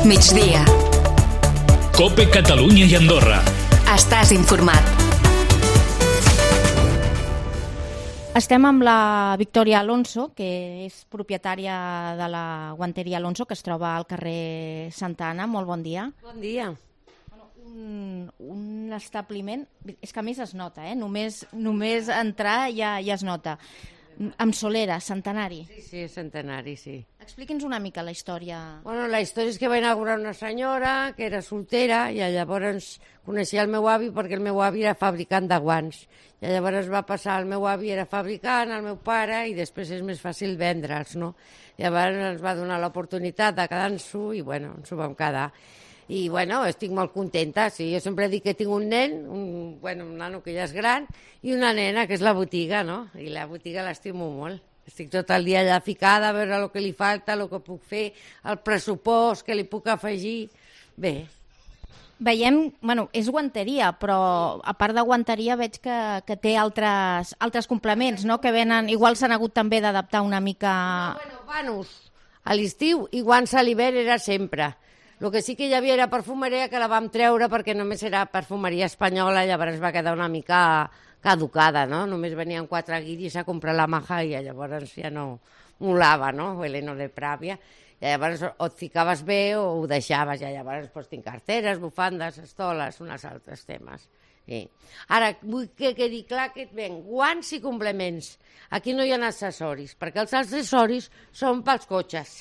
migdia. COPE Catalunya i Andorra. Estàs informat. Estem amb la Victòria Alonso, que és propietària de la guanteria Alonso, que es troba al carrer Santa Anna. Molt bon dia. Bon dia. Un establiment, és que a més es nota, només entrar ja es nota. Amb solera, centenari. Sí, centenari, sí. Expliqui'ns una mica la història. Bueno, la història és que va inaugurar una senyora que era soltera i llavors coneixia el meu avi perquè el meu avi era fabricant de guants. I llavors va passar, el meu avi era fabricant, el meu pare, i després és més fàcil vendre'ls, no? Llavors ens va donar l'oportunitat de quedar-nos-ho i, bueno, ens ho vam quedar. I, bueno, estic molt contenta. Sí, jo sempre dic que tinc un nen, un nano que ja és gran, i una nena, que és la botiga, no? I la botiga l'estimo molt. Estic tot el dia allà ficada a veure el que li falta, el que puc fer, el pressupost que li puc afegir. Bé. Veiem, és guanteria, però a part de guanteria veig que té altres complements, no?, que venen, igual s'han hagut també d'adaptar una mica... Vanos a l'estiu i guants a l'hivern era sempre. El que sí que hi havia era perfumeria, que la vam treure perquè només era perfumeria espanyola, llavors va quedar una mica caducada, no? Només venien 4 guiris a comprar la maja i llavors ja no molava, no? Veleno de pràvia. I llavors o et ficaves bé o ho deixaves. I llavors tinc carteres, bufandes, estoles, uns altres temes. Sí. Ara, vull que quedi clar que et ven guants i complements. Aquí no hi ha accessoris, perquè els accessoris són pels cotxes.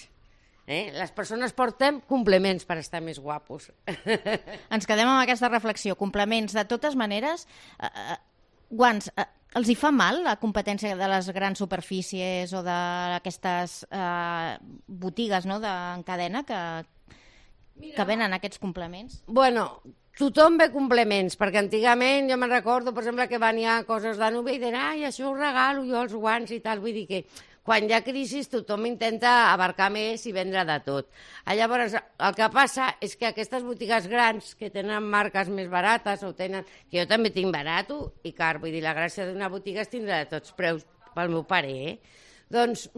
Les persones portem complements per estar més guapos. Ens quedem amb aquesta reflexió. Complements, de totes maneres, guants, els hi fa mal la competència de les grans superfícies o d'aquestes botigues, no?, en cadena que venen aquests complements? Bueno, tothom ve complements, perquè antigament jo me'n recordo, per exemple, que venia coses de nube i deien, ai, això ho regalo jo, els guants i tal, vull dir que quan hi ha crisi tothom intenta abarcar més i vendre de tot. Llavors, el que passa és que aquestes botigues grans que tenen marques més barates o tenen... que jo també tinc barat i car, vull dir, la gràcia d'una botiga és tindre de tots preus pel meu pare, doncs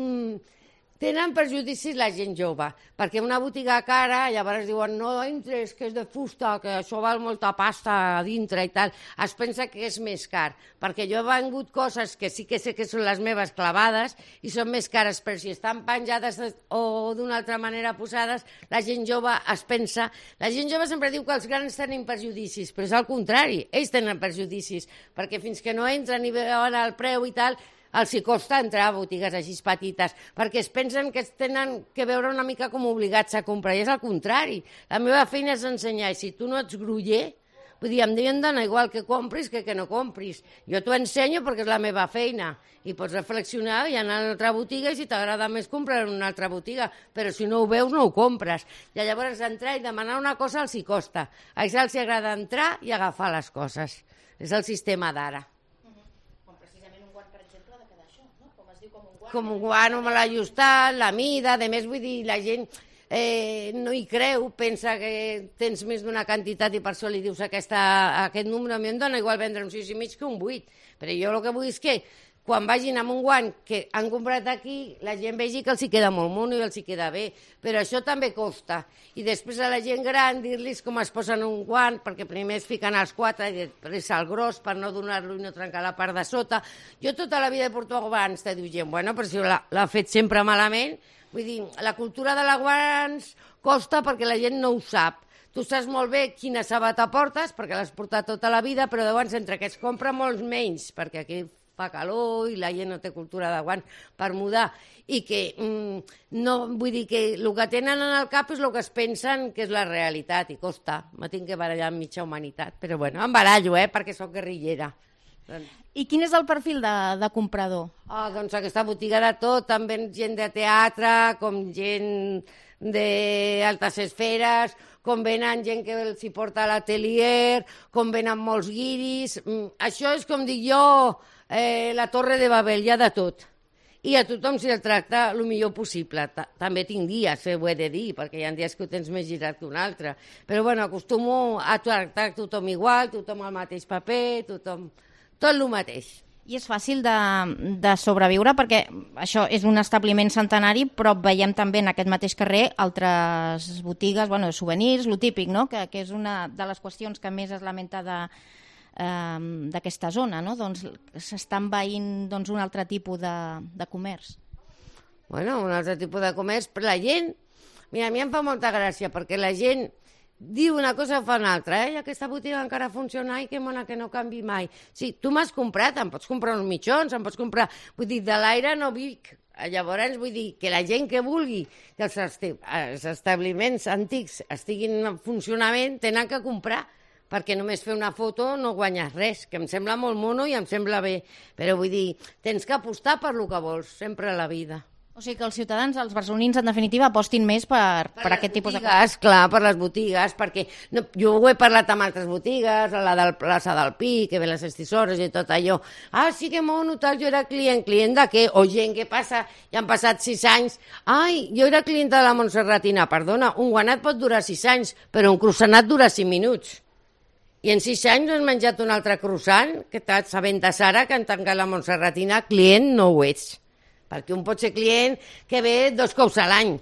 tenen perjudicis la gent jove, perquè una botiga cara, llavors diuen no entres, que és de fusta, que això val molta pasta a dintre i tal. Es pensa que és més car, perquè jo he vengut coses que sí que sé que són les meves clavades i són més cares, però si estan penjades o d'una altra manera posades, la gent jove es pensa... La gent jove sempre diu que els grans tenen perjudicis, però és al contrari, ells tenen perjudicis, perquè fins que no entren i veuen el preu i tal, els hi costa entrar a botigues així petites, perquè es pensen que es tenen que veure una mica com obligats a comprar, i és al contrari. La meva feina és ensenyar, i si tu no ets groller, vull dir, em diuen dona igual que compris que no compris. Jo t'ho ensenyo perquè és la meva feina, i pots reflexionar i anar a una altra botiga, i si t'agrada més comprar en una altra botiga, però si no ho veus no ho compres. I llavors entrar i demanar una cosa els hi costa. A ells els agrada entrar i agafar les coses. És el sistema d'ara. Com un guant, amb l'ajustat, la mida, a més, vull dir, la gent no hi creu, pensa que tens més d'una quantitat i per això li dius aquest número. A mi em dona igual vendre un 6,5 que un 8, però jo el que vull és que quan vagin amb un guant que han comprat aquí, la gent vegi que els hi queda molt mono i els hi queda bé, però això també costa. I després a la gent gran dir-los com es posen un guant, perquè primer es fiquen els 4 i després el gros per no donar-lo i no trencar la part de sota. Jo tota la vida he portat guants, te diu gent, bueno, però si l'ha fet sempre malament. Vull dir, la cultura de la guants costa perquè la gent no ho sap. Tu saps molt bé quina sabata portes, perquè l'has portat tota la vida, però llavors entre que es compra molts menys, perquè aquí fa calor i la gent no té cultura de guants per mudar, i que no, vull dir que el que tenen en el cap és el que es pensen que és la realitat, i costa, me tinc que barallar amb mitja humanitat, però bueno, em barallo, perquè soc guerrillera. I quin és el perfil de comprador? Doncs aquesta botiga de tot, també gent de teatre, com gent d'altes esferes, com venen gent que els hi porta a l'atelier, com venen molts guiris. Això és com dic jo, la Torre de Babel, hi ha de tot. I a tothom s'hi el tracta el millor possible. També tinc dies, ho he de dir, perquè hi ha dies que ho tens més girat que un altre. Però bueno, acostumo a tractar tothom igual, tothom al mateix paper, tothom... tot el mateix. I és fàcil de sobreviure perquè això és un establiment centenari, però veiem també en aquest mateix carrer altres botigues, bueno, de souvenirs, lo típic, no? Que és una de les qüestions que més es lamenta d'aquesta zona, no? Doncs s'està envaint un altre tipus de comerç. Bueno, un altre tipus de comerç, però la gent... Mira, a mi em fa molta gràcia, perquè la gent diu una cosa i fa una altra, aquesta botiga encara funciona, ai, que mona, que no canvi mai. Sí, tu m'has comprat, em pots comprar uns mitjons, em pots comprar... Vull dir, de l'aire no vic. Llavors, vull dir, que la gent que vulgui que els establiments antics estiguin en funcionament, tenen que comprar, perquè només fer una foto no guanyes res, que em sembla molt mono i em sembla bé, però vull dir, tens que apostar per lo que vols, sempre a la vida. O sigui que els ciutadans, els barcelonins, en definitiva, apostin més per aquest tipus de... Clar, per les botigues, perquè jo ho he parlat amb altres botigues, a la del plaça del Pi, que ve les estisores i tot allò. Ah, sí que mono, tal, jo era client de què? O gent que passa, ja han passat 6 anys. Ai, jo era clienta de la Montserratina. Perdona, un guanat pot durar 6 anys, però un croissanat dura 5 minuts. I en 6 anys has menjat un altre croissant, que t'has aventat ara que han tancat la Montserratina, client no ho ets. Perquè un pot ser client que ve 2 cops a l'any,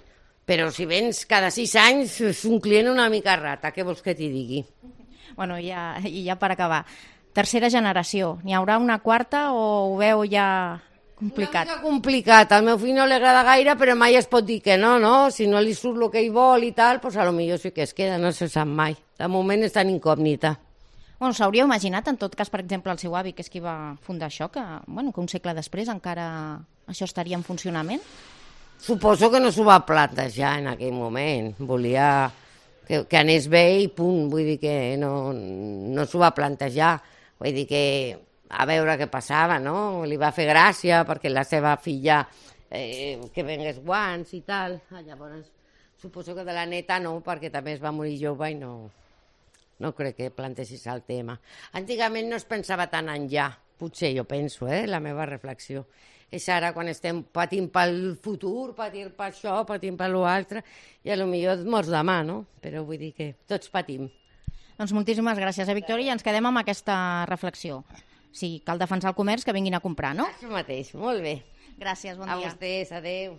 però si vens cada 6 anys és un client una mica rata, què vols que t'hi digui? Bueno, i ja per acabar, tercera generació, n'hi haurà una quarta o ho veu ja complicat? Una mica complicat, al meu fill no li agrada gaire, però mai es pot dir que no, si no li surt el que ell vol i tal, doncs potser sí que es queda, no se sap mai. De moment està en incògnita. Bueno, s'hauria imaginat, en tot cas, per exemple, el seu avi, que és qui va fundar això, que un segle després encara això estaria en funcionament? Suposo que no s'ho va plantejar en aquell moment. Volia que anés bé i punt. Vull dir que no s'ho va plantejar. Vull dir que a veure què passava, no? Li va fer gràcia perquè la seva filla que vengués guants i tal. Llavors, suposo que de la neta no, perquè també es va morir jove i no crec que plantesis el tema. Antigament no es pensava tant en ja, potser jo penso, la meva reflexió. És ara quan estem patint pel futur, patint per això, patint per l'altre, i potser et mors demà, no? Però vull dir que tots patim. Doncs moltíssimes gràcies, Victòria, i ens quedem amb aquesta reflexió. Si cal defensar el comerç, que vinguin a comprar, no? Això mateix, molt bé. Gràcies, bon dia. A vostès, adeu.